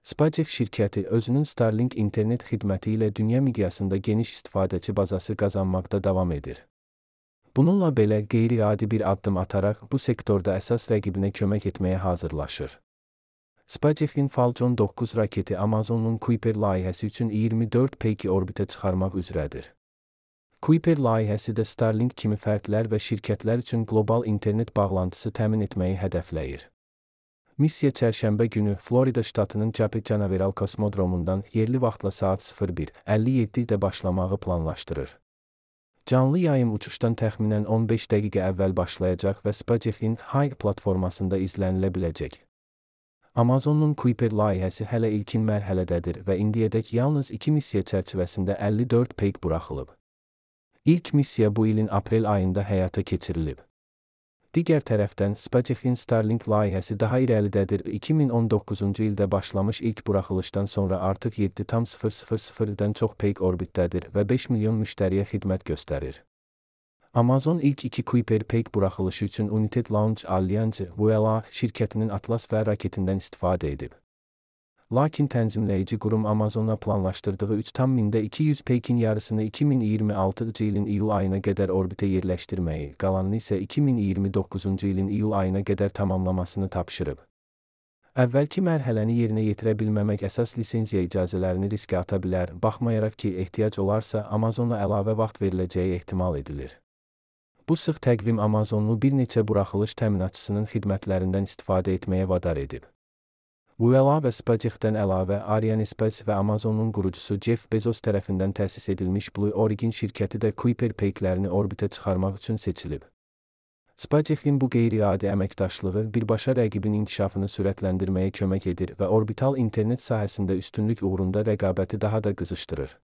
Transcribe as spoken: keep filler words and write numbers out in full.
SpaceX şirkəti özünün Starlink internet xidməti ilə dünya miqyasında geniş istifadəçi bazası qazanmaqda davam edir. Bununla belə qeyri-adi bir addım ataraq bu sektorda əsas rəqibinə kömək etməyə hazırlaşır. SpaceX-in Falcon doqquz raketi Amazon'un Kuiper layihəsi üçün iyirmi dörd peyki orbitə çıxarmaq üzrədir. Kuiper layihəsi də Starlink kimi fərdlər və şirkətlər üçün qlobal internet bağlantısı təmin etməyi hədəfləyir. Missiya çərşənbə günü Florida ştatının Chapin Canaveral kosmodromundan yerli vaxtla saat sıfır bir əlli yeddidə başlamağı planlaşdırır. Canlı yayım uçuşdan təxminən on beş dəqiqə əvvəl başlayacaq və SpaceX-in High platformasında izlənilə biləcək. Amazon'un Kuiper layihəsi hələ ilkin mərhələdədir və indiyədək yalnız iki missiya çərçivəsində əlli dörd peyk buraxılıb. İlk missiya bu ilin aprel ayında həyata keçirilib. Digər tərəfdən SpaceX-in Starlink layihəsi daha irəlidədir. iki min on doqquzuncu ildə başlamış ilk buraxılışdan sonra artıq yeddi nöqtə çox peyk orbitdədir və beş milyon müştəriyə xidmət göstərir. Amazon ilk iki Kuiper peyk buraxılışı üçün United Launch Alliance (V L A) şirkətinin Atlas V raketindən istifadə edib. Lakin tənzimləyici qurum Amazon'a planlaşdırdığı üç min iki yüz peykin yarısını iki min iyirmi altıncı ilin iyul ayına qədər orbitə yerləşdirməyi, qalanını isə iki min iyirmi doqquzuncu ilin iyul ayına qədər tamamlamasını tapşırıb. Əvvəlki mərhələni yerinə yetirə bilməmək əsas lisenziya icazələrini riskə ata bilər, baxmayaraq ki, ehtiyac olarsa Amazon'a əlavə vaxt veriləcəyi ehtimal edilir. Bu sıx təqvim Amazon'u bir neçə buraxılış təminatçısının xidmətlərindən istifadə etməyə vadar edib. V L A və SpaceX-dən əlavə Arianespace və Amazon'un qurucusu Jeff Bezos tərəfindən təsis edilmiş Blue Origin şirkəti də Kuiper peyklərini orbitə çıxarmaq üçün seçilib. SpaceX-in bu qeyri-adi əməkdaşlığı birbaşa rəqibin inkişafını sürətləndirməyə kömək edir və orbital internet sahəsində üstünlük uğrunda rəqabəti daha da qızışdırır.